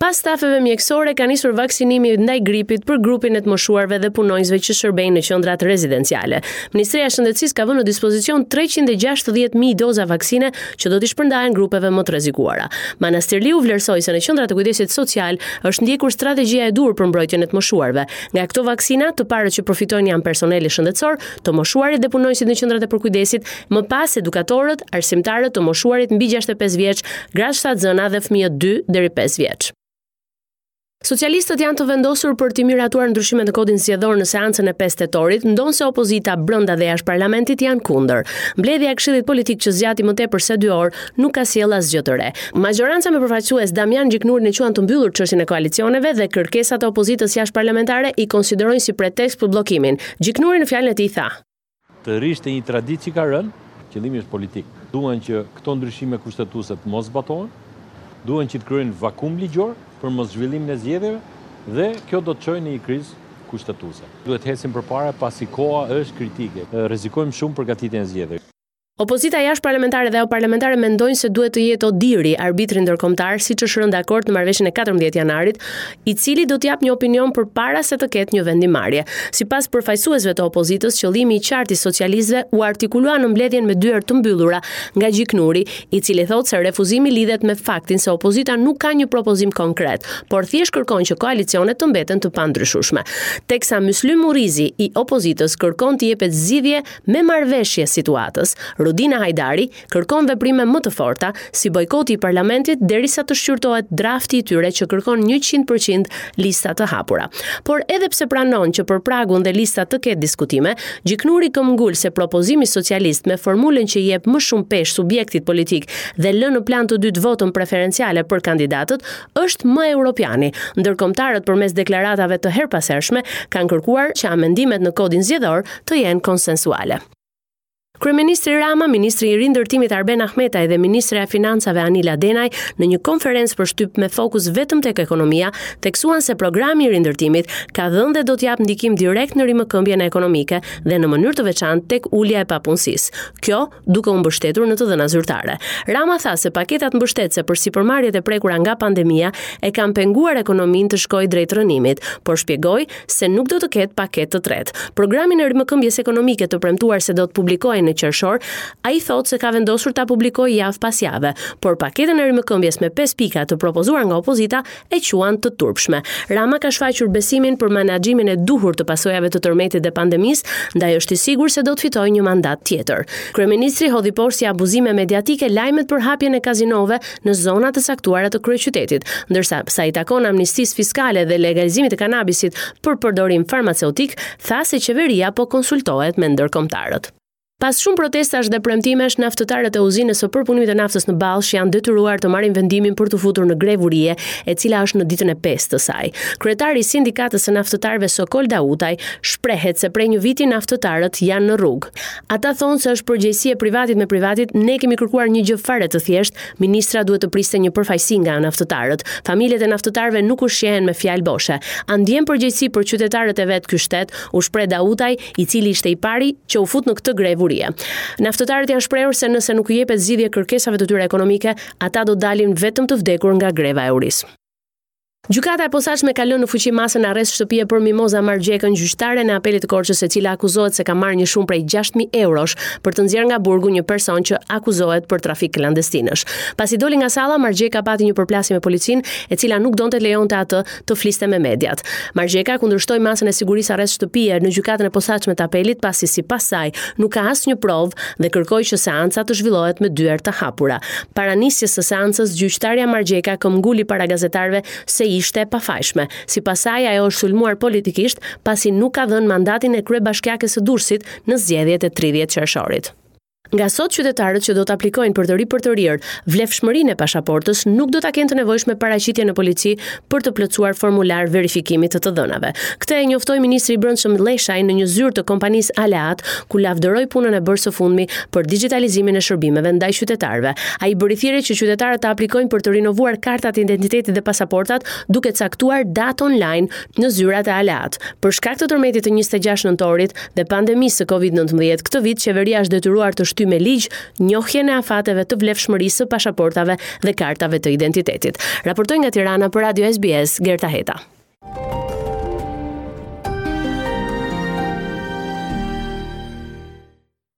Pas stafeve mjekësore ka nisur vaksinimi ndaj gripit për grupin e të moshuarve dhe punonjësve që shërbejnë në qendrat rezidenciale. Ministria e Shëndetësisë ka vënë në dispozicion 360.000 doza vaksine që do t'i shpërndahen grupeve më të rrezikuara. Manastirliu vlerësoi se në qendrat e kujdesit social është ndjekur strategjia e duhur për mbrojtjen e të moshuarve. Nga këto vaksina, të parët që përfitojnë janë personeli shëndetësor, të moshuarit dhe punonjësit në qendrat e përkujdesit, më pas edukatorët, arsimtarët, të moshuarit mbi 65 vjeç, gratë shtatzëna dhe fëmijët 2 deri 5 vjeç. Socialistët janë të vendosur për t'i miratuar ndryshimet në kodin zgjedhor në seancën e 5 tetorit, ndonëse opozita brenda dhe jashtë parlamentit janë kundër. Mbledhja e Këshillit Politik që zgjati më tepër se 2 orë nuk ka sjellë asgjë të re. Mazhoranca me përfaqësues Damian Gjiknurin e quan të mbyllur çështjen e koalicioneve dhe kërkesat e opozitës jashtëparlamentare i konsiderojnë si pretekst për bllokimin. Gjiknuri në fjalën e tij tha. Të rrish te një traditë që ka rënë, qëllimi është politik. Duan që këto ndryshime kushtetuese të mos zbatohen, duan që të krijojnë vakum ligjor për moszhvillimin e zgjedhjeve dhe kjo do të çojë në një krizë kushtetuese. Duhet të ecim përpara pasi koha është kritike. Rrezikojmë shumë përgatitjen e zgjedhjeve. Opozita jashtëparlamentare dhe ajo parlamentare mendojnë se duhet të jetë ODIHR-i, arbitri ndërkombëtar, siç është rënë dakord në marrëveshjen e 14 janarit, i cili do të japë një opinion përpara se të ketë një vendimmarrje. Sipas përfaqësuesve të opozitës, qëllimi i qartë i socialistëve u artikulua në mbledhjen me dyer të mbyllura nga Gjiknuri, i cili thotë se refuzimi lidhet me faktin se opozita nuk ka një propozim konkret, por thjesht kërkon që koalicionet të mbeten të pandryshueshme. Teksa Myslym Murrizi i opozitës kërkon t'i jepet zgjidhje Me marrëveshje situatës, Rudina Hajdari kërkon veprime më të forta, si bojkoti i parlamentit derisa të shqyrtohet drafti i tyre që kërkon 100% lista të hapura. Por edhe pse pranon që për pragun dhe listat të ketë diskutime, Gjiknuri këmbëngul se propozimi socialist me formulën që i jep më shumë peshë subjektit politik dhe lë në plan të dytë votën preferenciale për kandidatët, është më europiani. Ndërkombëtarët përmes deklaratave të herëpashershme kanë kërkuar që amendimet në kodin zgjedhor të jenë konsensuale. Kryeministri Rama, ministri i Rindërtimit Arben Ahmetaj dhe ministrja e Financave Anila Denaj në një konferencë për shtyp me fokus vetëm tek ekonomia, theksuan se programi i rindërtimit ka dhënë dhe do të japë ndikim direkt në rimëkëmbjen ekonomike dhe në mënyrë të veçantë tek ulja e papunësisë. Kjo duke u mbështetur në të dhëna zyrtare. Rama tha se paketat mbështetëse për sipërmarrjet e prekura nga pandemia e kanë penguar ekonominë të shkojë drejt rrënimit, por shpjegoi se nuk do të ketë paketë të tretë. Programin e rimëkëmbjes ekonomike të premtuar se do të publikohej në qershor, ai thotë se ka vendosur ta publikojë javë pas jave, por paketën e rimëkëmbjes me 5 pika të propozuar nga opozita e quan të turpshme. Rama ka shfaqur besimin për menaxhimin e duhur të pasojave të tërmetit dhe pandemisë, ndaj është i sigurt se do të fitojë një mandat tjetër. Kryeministri hodhi poshtë si abuzime mediatike lajmet për hapjen e kazinove në zona të caktuara të kryeqytetit, ndërsa sa i takon amnistisë fiskale dhe legalizimit të kanabisit për përdorim farmaceutik, tha se qeveria po konsultohet me ndërkombëtarët. Pas shumë protestash dhe premtimesh, naftëtarët e uzinës së përpunimit të naftës në Ballsh janë detyruar të marrin vendimin për t'u futur në grevë urie, e cila është në ditën e pestë të saj. Kryetari i sindikatës së naftëtarëve Sokol Dautaj shprehet se prej një viti naftëtarët janë në rrugë. Ata thonë se është përgjegjësi e privatit me privatit, ne kemi kërkuar një gjë fare të thjeshtë, ministra duhet të priste një përfaqësi nga naftëtarët. Familjet e naftëtarëve nuk ushqehen me fjalë boshe. A ndjen përgjegjësi për qytetarët e vet ky shtet? U shpreh Dautaj, i cili ishte i pari që u fut në këtë grevë urie. Naftëtarët janë shprehur se nëse nuk u jepet zgjidhje kërkesave të tyre ekonomike, ata do dalin vetëm të vdekur nga greva e urisë. Gjykata e posaçme ka lënë në fuqi masën arrest shtëpie për Mimoza Margjekën, gjyqtaren e Apelit të Korçës, e cila akuzohet se ka marrë një shumë prej 6000 eurosh për të nxjerrë nga burgu një person që akuzohet për trafik klandestinësh. Pasi doli nga salla, Margjeka pati një përplasje me policinë, e cila nuk donte të lejonte atë të fliste me mediat. Margjeka kundërshtoi masën e sigurisë arrest shtëpie në gjykatën e posaçme të apelit pasi sipas saj nuk ka asnjë provë dhe kërkoi që seanca të zhvillohet me dyer të hapura. Para nisjes së seancës, gjyqtarja Margjeka këmbguli para gazetarëve se ishte e pafajshme. Sipas saj, ajo është sulmuar politikisht pasi nuk ka dhënë mandatin e kryebashkiakes së Durrësit në zgjedhjet e 30 qershorit. Nga sot qytetarët që do të aplikojnë për të ripërtërirë vlefshmërinë e pashaportës nuk do ta kenë të nevojshme paraqitjen në polici për të plotësuar formular verifikimi të të dhënave. Këtë e njoftoi ministri i Brendshëm Lleshaj në një zyrë të kompanisë Aleat, ku lavdëroi punën e bërë së fundmi për digjitalizimin e shërbimeve ndaj qytetarëve. Ai bëri thirrje që qytetarët të aplikojnë për të rinovuar kartat e identitetit dhe pasaportat duke caktuar datë online në zyrat e Aleat. Për shkak të tërmetit të 26 nëntorit dhe pandemisë së Covid-19, këtë vit qeveria është detyruar të shtyjë. shtyjë me ligj njohjen e afateve të vlefshmërisë së pashaportave dhe kartave të identitetit. Raportoi nga Tirana për Radio SBS, Gerta Heta.